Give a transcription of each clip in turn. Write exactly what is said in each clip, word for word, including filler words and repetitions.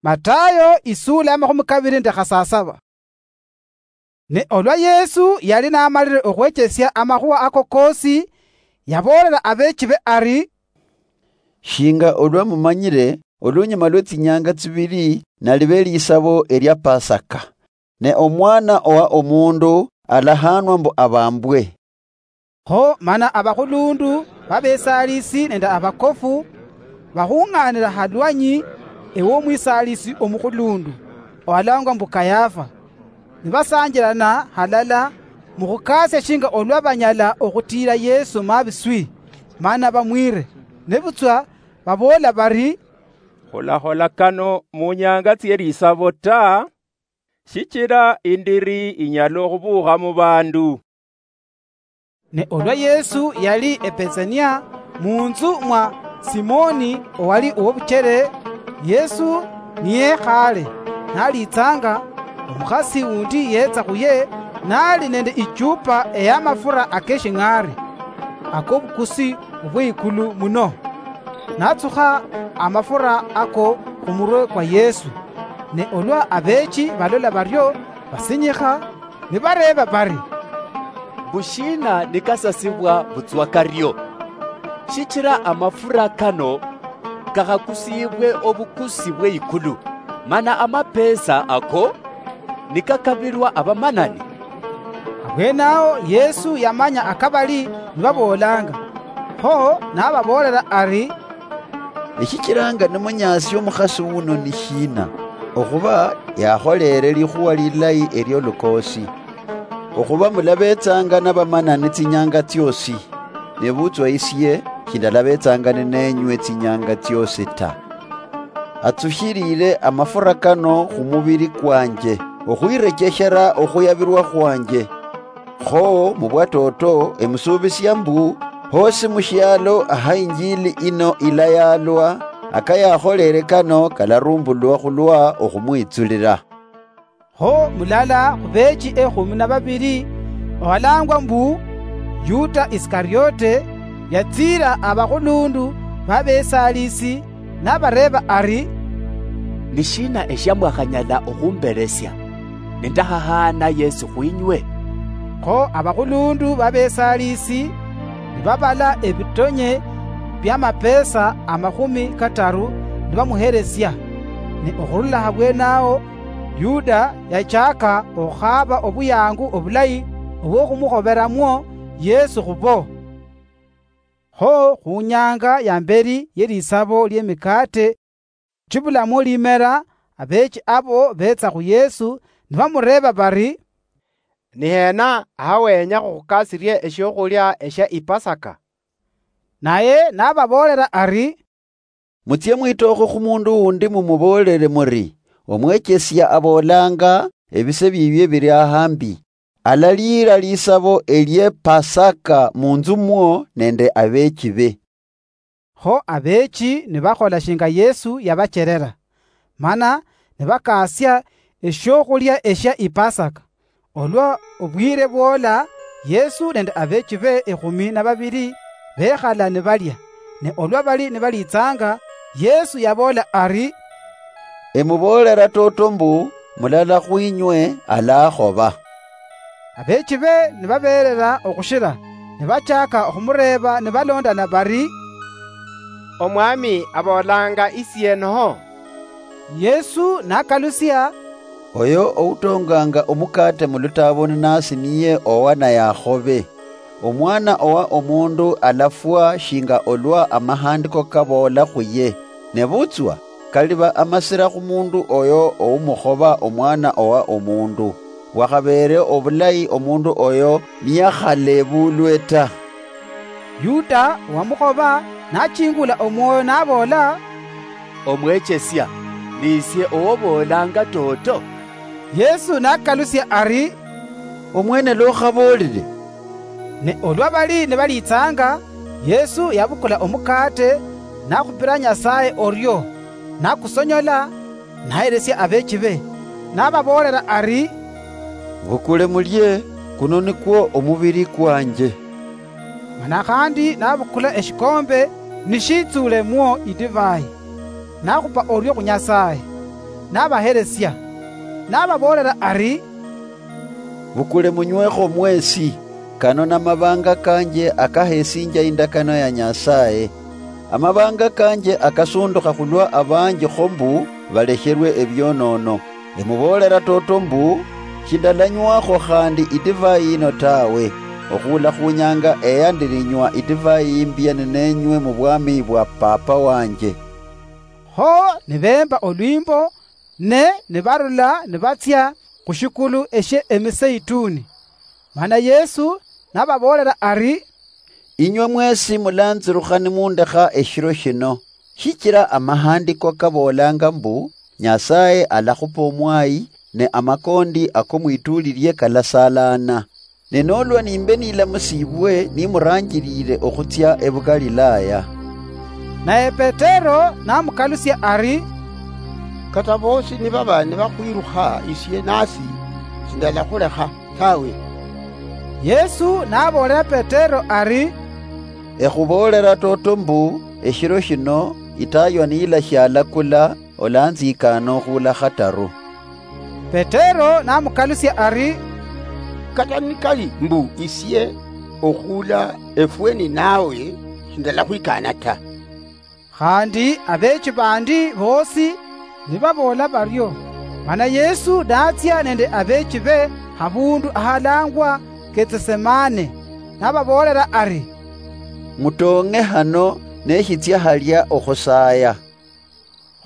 Matayo isuula ya makhumi kabiri nende khasasaba. Ne olwa Yesu yali namalire okhwechesia amakhuwa ako kosi, yaboolera abeechibe ari, "Shinga olwa mumanyire, olunyuma lwe tsinyanga tsibiri nalibe lisabo elia Pasaka, ne omwana owa omundu alahanwa mbu abambwe." Kho mana abakhulundu babesalisi nende abakofu bakhung'anira halwanyi ewomwisalisi omukhulundu, owalangwa mbu Kayafa, nibasanjirana halala mukhukaasia shinga olwa banyala okhutiira Yesu mabiswi, mana bamwire. Nebutswa baboola bari, "Khulakhola kano munyanga tsie lisabo ta, shichira indiri inyala okhubuukha mubandu." Ne olwa Yesu yali eBetsania, munzu mwa Simoni owali owobuchere, Yesu niyekhale nalitsanga, omukhasi wundi yetsa khuye nali nende ichupa eyamafura akeshing'ari akobukusi obweikulu muno, natsukha amafura ako khumurwe kwa Yesu. Ne olwa abeechi balola bario, basinyikha, nibareeba bari, "Mbu shiina nikasasibwa butswa kario? Shichira amafura kano kakhakusiibwe obukusi bweikulu, mana amapesa ako nikakabilwa abamanani." Abwenaho Yesu yamanya akabali nibaboolanga, kho nababoolera ari, "Eshichiranga nimunyaasia omukhasi wuno ni shiina? Okhuba yakholeere likhuwa lilayi eliolukoosi. Okhuba mulabetsanga nabamanani tsinyanga tsiosi, nebutswa isie shindalabetsanga nineenywe tsinyanga tsiosi ta. Atsushiriire amafura kano khumubiri kwanje, okhwirecheshera okhuyabirwa khwanje. Kho mubwatoto emusuubisia mbu, hosi mushialo aha injili ino ilayaalwa, akayakholere kano kalarumbulwa khulwa okhumwitsulira." Kho mulala khubeechi ekhumi na babiri, owalangwa mbu Yuda Isikariote, yatsiira abakhulundu babesalisi, nabareeba ari, "Ni shiina eshia mwakhanyala okhumberesia, nindakhahaana Yesu khwinywe?" Kho abakhulundu babesalisi nibabala ebitonye biamapesa amakhumi kataru nibamuheresia. Ne okhurula habwenaho, Yuda yachaka okhukhaba obuyangu obulayi obwokhumukhoberamwo Yesu khubo. Kho khunyanga ya mberi yelisabo liemikate chibulamo limera, abeechi abo beetsa khu Yesu nibamureeba bari, "Ni hena aha wenya khukhukasirie eshiokhulia eshia Ipasaka?" Naye nababoolera ari, "Mutsie mwitookho khu mundu wundi mumuboolere muri, 'Omwechesia aboolanga, ebise biibie biri ahambi. Alaliira lisabo elie Pasaka munzu mwo nende abeechi be.'" Kho abeechi nibakhola shinga Yesu yabacherera, mana nibakaasia eshiokhulia eshia Ipasaka. Olwa obwire bwoola, Yesu nende abeechi be ekhumi na babiri bekhala nibalia, ne olwa bali nibaliitsanga, Yesu yaboola ari, "Emuboolera toto mbu, mulala khwinywe alakhoba." Abeechi be nibabeerera okhushira, nibachaka okhumureeba nibalondana bari, "Omwami aboolanga isienoho?" Yesu nakalusia, "Oyo outonganga omukate mulutaaboni nasi niye owa naye akhobe. Omwana owa omundu alafwa shinga olwa amahandiko kaboola khuye. Nebutswa, kaliba amasira khumundu oyo oumukhoba omwana owa omundu. Bwakhabeere obulayi omundu oyo niyakhalebulwe ta." Yuda owamukhoba nachingula omwoyo naboola, "Omwechesia, nisie owoboolanga toto?" Yesu nakalusia ari, "Omwene lokhaboolire." Ne olwa bali nibaliitsanga, Yesu yabukula omukate, nakhupira Nyasaye orio, nakusonyola, naheresia abeechi be, nababoolera ari, "Bukule mulie, kuno nikwo omubiri kwanje." Mana khandi nabukula eshikombe, nishitsulemwo idivai, nakhupa orio khu Nyasaye. nabaheresia, nababoolera ari, "Bukule munywekho mwesi, kano namabanga kanje akahesinja indakano ya Nyasaye. Amabanga kanje akasundukha khulwa abanji kho mbu balekherwe ebionono. Emuboolera toto mbu, shindalanywakho khandi idivai yino tawe, okhula khunyanga eya ndilinywa idivai imbia ninenywe mu bwami bwa Papa wanje." Kho nibeemba olwimbo, ne nibarula nibatsia khushikulu eshie Emiseituni. Mana Yesu nababoolera ari, "Inywe mwesi mulanzirukha nimundekha eshiro shino, shichira amahandiko kaboolanga mbu, Nyasaye alakhupa omwayi, ne amakondi ako mwituli lie kalasalana. Ne nolwa nimbe nilamusibwe nimuranjirire okhutsia ebuGalilaya." Naye Petero namukalusia ari, "Kata boosi nibaba nibakhwirukha isie nasi, sindalakhulekha tawe." Yesu naboolera Petero ari, "Ekhuboolera toto mbu, eshiro shino itaywa niyilashia alakula, olanzikana okhula khataru." Petero namukalusia ari, "Kata nikali mbu isie okhula efwe ninawe, sindalakhwikana ta." Khandi abeechi bandi boosi nibaboola bario. Mana Yesu natsia nende abeechibe habundu ahalangwa Getsesemane, nababoolera ari, "Mutoong'e hano neshitsia halia okhusaya."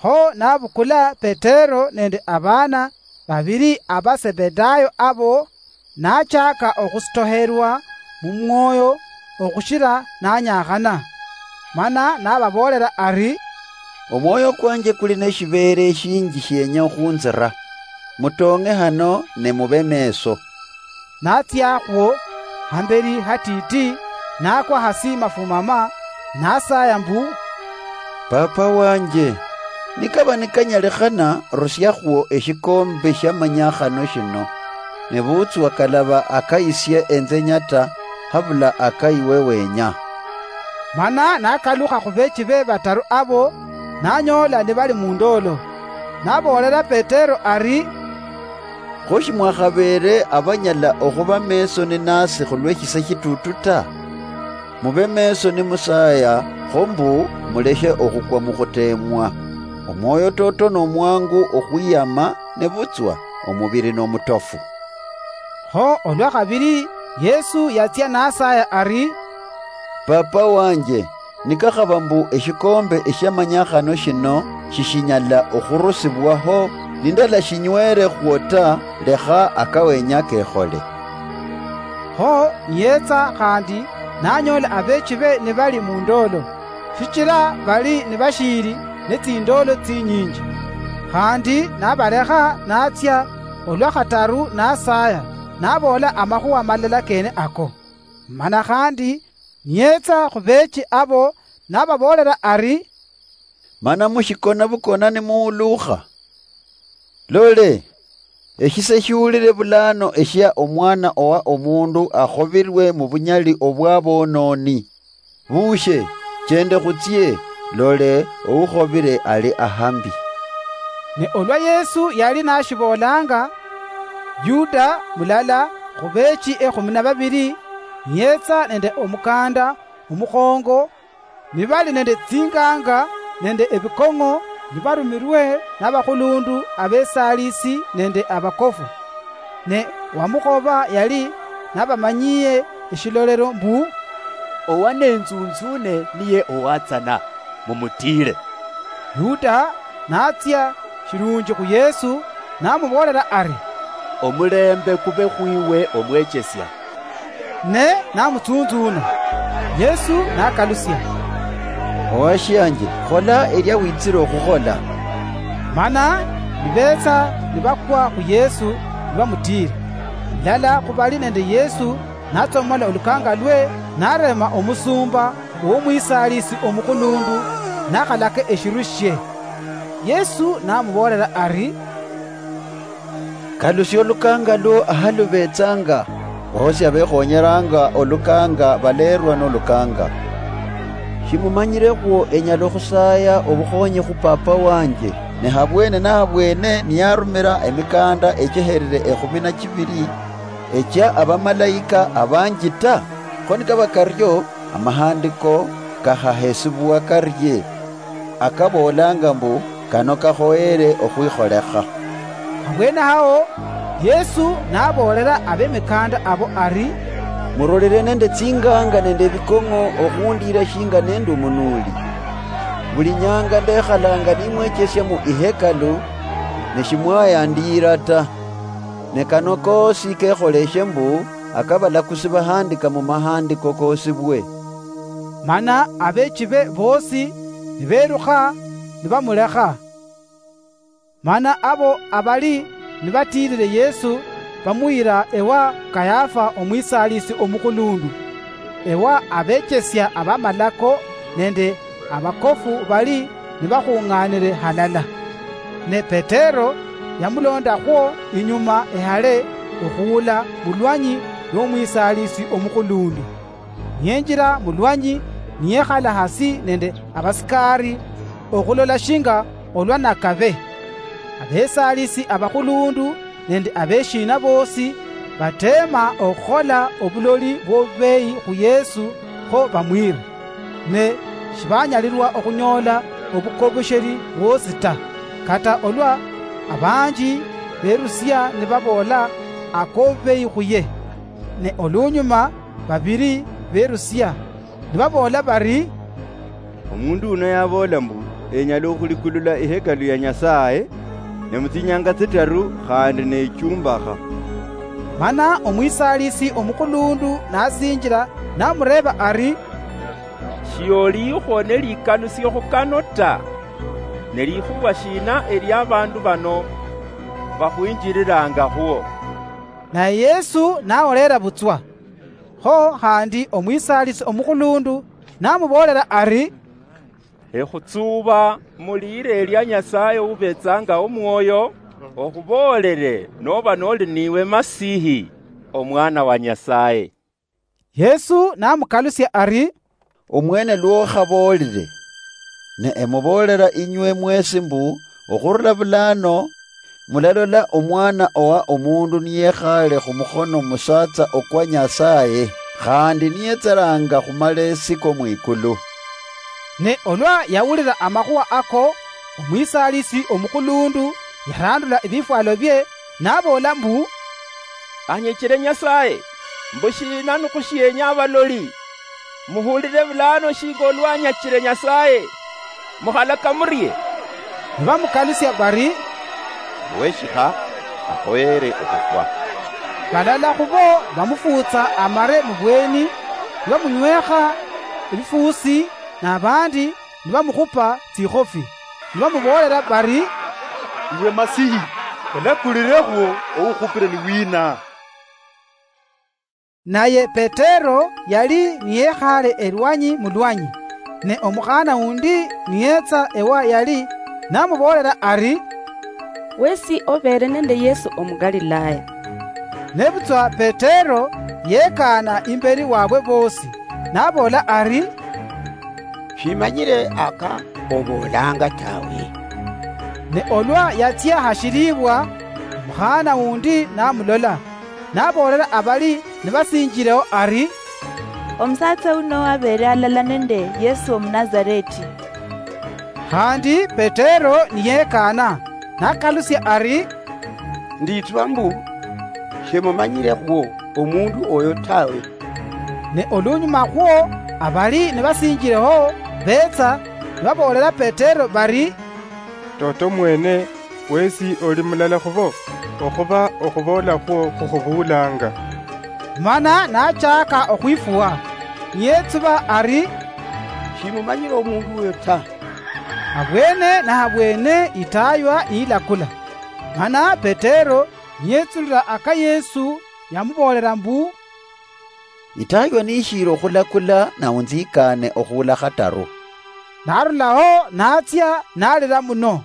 Kho nabukula Petero nende abaana babili aba Sebedayo abo, nachaka okhusitoherwa mumwoyo okhushira nanyakhana. Mana nababoolera ari, "Omwoyo kwanje kuli neshibeere eshinji shienya okhunzira. Mutoong'e hano ne mube meeso." Natsiakhwo hamberi hatiti, nakwa hasi mafumama, nasaya mbu, "Papa wanje, nikaba nikanyalikhana, rusiakhwo eshikombe shiamanyakhano shino, nebutswa kalaba akayisie enze nyata, habula akayiwe wenya." Mana nakalukha khubeechibe bataru abo, nanyoola nibali mundoolo. Naboolera Petero ari, "Kho shimwakhabeere abanyala okhuba meeso ninasi khulweshise shitutu ta? Mube meeso nimusaya, kho mbu muleshe okhukwa mukhuteemwa. Omwoyo toto nomwangu okhwiyama, nebutswa omubiri nomutofu." Kho olwakhabili Yesu yatsia nasaya ari, "Papa wanje, nikakhaba mbu eshikombe eshiamanyakhano shino shishinyala okhurusibwaho, nindalashinywelekhwo ta, lekha akawenya kekhole." Kho niyetsa khandi nanyoola abeechibe nibali mundoolo, shichira bali nibashiili netsindoolo tsinyinji. Khandi nabalekha natsia olwa khataru nasaya, naboola amakhuwa malala kene ako. Mana khandi niyetsa khubeechi abo, nababoolera ari, "Mana mushikona bukona nimuhuluukha? Lole, eshise shiulire bulano eshia Omwana owa Omundu akhobirwe mubunyali obwabononi. Bushe, chende khutsie, lole, oukhobire ali ahambi." Ne olwa Yesu yali nashiboolanga, Yuda mulala khubeechi ekhumi na babili, niyetsa nende omukanda omukhongo, nibali nende tsinganga nende ebikong'o, nibarumirwe nabakhulundu abesaalisi nende abakofu. Ne wamukhoba yali nabamanyiye eshilolero mbu, "Owa nenzunzune niye owatsana, mumutiile." Yuda natsia shilunji khu Yesu, namuboolera ari, "Omulembe kube khwiwe, Omwechesia." Ne namutsunzuna. Yesu nakalusia, "Owashianje, khola elia witsire okhukhola." Mana nibetsa nibakwa khu Yesu, nibamutiira. Mulala khubali nende Yesu natsomola olukangalwe, narema omusumba womwisaalisi omukhulundu nakhalaka eshiru shie. Yesu namuboolera ari, "Kalusia olukangalwo ahalubetsanga, boosi abekhonyeranga olukanga baleerwa nolukanga. Shimumanyirekhwo enyala okhusaya obukhonyi khu Papa wanje, Ne habwene nahabwene niyarumira emikaanda echeherire ekhumi na chibiri echia abamalaika abanji ta? Kho nikaba kario, amahandiko kakhahesibwa karie, akaboolanga mbu kano kakhoyere okhwikholekha? Abweene ao, Yesu naboolera abemikaanda abo ari, "Murolere nende tsinganga nende ebikong'o okhundiira shinga nendi omunuuli. Buli nyanga ndekhalanga nimwechesia mu ihekalu, ne shimwayandiira ta. Ne kano koosi kekholeshe mbu akabalakusi bahandika mu mahandiko koosibwe." Mana abeechibe boosi nibeerukha nibamulekha. Mana abo abali nibatiirire Yesu bamuyira ewa Kayafa omwisaalisi omukhulundu, ewa abechesia abamalako nende abakofu bali nibakhung'aanire halala. Ne Petero yamulondakhwo inyuma ehale okhuula mulwanyi lw'omwisaalisi omukhulundu. Niyenjira mulwanyi, niyekhala hasi nende abasikari okhulola shinga olwa nakabe. Abesaalisi abakhulundu nende abeshiina boosi bateema okhukhola obuloli bw'obubeeyi khu Yesu kho bamwiire, ne shibanyalirwa okhunyoola obukobosheri bwoosi ta, kata olwa abanji berusia nibaboola ak'obubeeyi khuye. Ne olunyuma babiri berusia, nibaboola bari, "Omundu uno yaboola mbu enyala okhulikulula ihekalu ya Nyasaye, ne mutsinyanga tsitaru khandi nechumbakha." Mana omwisaalisi omukhulundu nasinjira, namureeba ari, "Shioliikhwo ne likalusiokho kano ta, ne likhuwa shina elia abandu bano bakhwinjirirangakhwo?" Naye Yesu naholeera butswa. Kho khandi omwisaalisi omukhulundu namuboolera ari, "Ekhutsuuba mu liira elia Nyasaye ubetsanga omwoyo, okhuboolere noba noli niwe Masihi, Omwana wa Nyasaye." Yesu namukalusia ari, "Omwene lwokhaboolire. Ne emuboolera inywe mwesi mbu, okhurula bulaano, mulalola Omwana owa Omundu niyekhaale khumukhono musatsa okwa Nyasaye, khandi niyetseranga khumalesi ko mwikulu." Ne olwa yawulira amakhuwa ako, omwisaalisi omukhulundu yarandula ebifwalo bie, naboola mbu, "Anyechire Nyasaye, mbu shiina nikhushienya abaloli? Muhulire bulaano shinga olwanyachire Nyasaye. Mukhalaka murie?" Nibamukalusia bari, "Weshikha, akhoyere okhufwa." Balala khubo bamufuutsa amare mubweni, nibamunywekha ebifuusi, nabandi nibamukhupa tsikhofi, nibamuboolera bari, "Iwe Masihi, elakulirekhwo oukhupire ni wina?" Naye Petero yali niyekhaale elwanyi mulwanyi, ne omukhaana wundi niyetsa ewa yali, namuboolera ari, "Wesi obeere nende Yesu Omugalilaya." Nebutswa Petero yekaana imberi wabwe boosi, naboola ari, "Shimanyire aka oboolanga tawe." Ne olwa yatsia hashilibwa, omukhaana wundi namulola, naboolera abali nibasinjireho ari, "Omusatsa uno abeere alala nende Yesu Omunazareti." Khandi Petero niyekaana, nakalusia ari, "Nditswa mbu, shemumanyirekhwo omundu oyo tawe." Ne olunyuma khwo, abali nibasinjireho betsa, nibaboolera Petero bari, "Toto mwene, wesi oli mulala khubo, okhuba okhuboola khwo khukhubuulanga." Mana nachaaka okhwifuwa, niyetsuba ari, "Shimumanyire omundu uyo ta." Abwene nahabwene itaywa niyilakula. Mana Petero niyetsulira aka Yesu yamuboolera mbu, "Itaywa nishiiri okhulakula, na unzikaane okhuula khataru." Narulaho natsia nalira muno.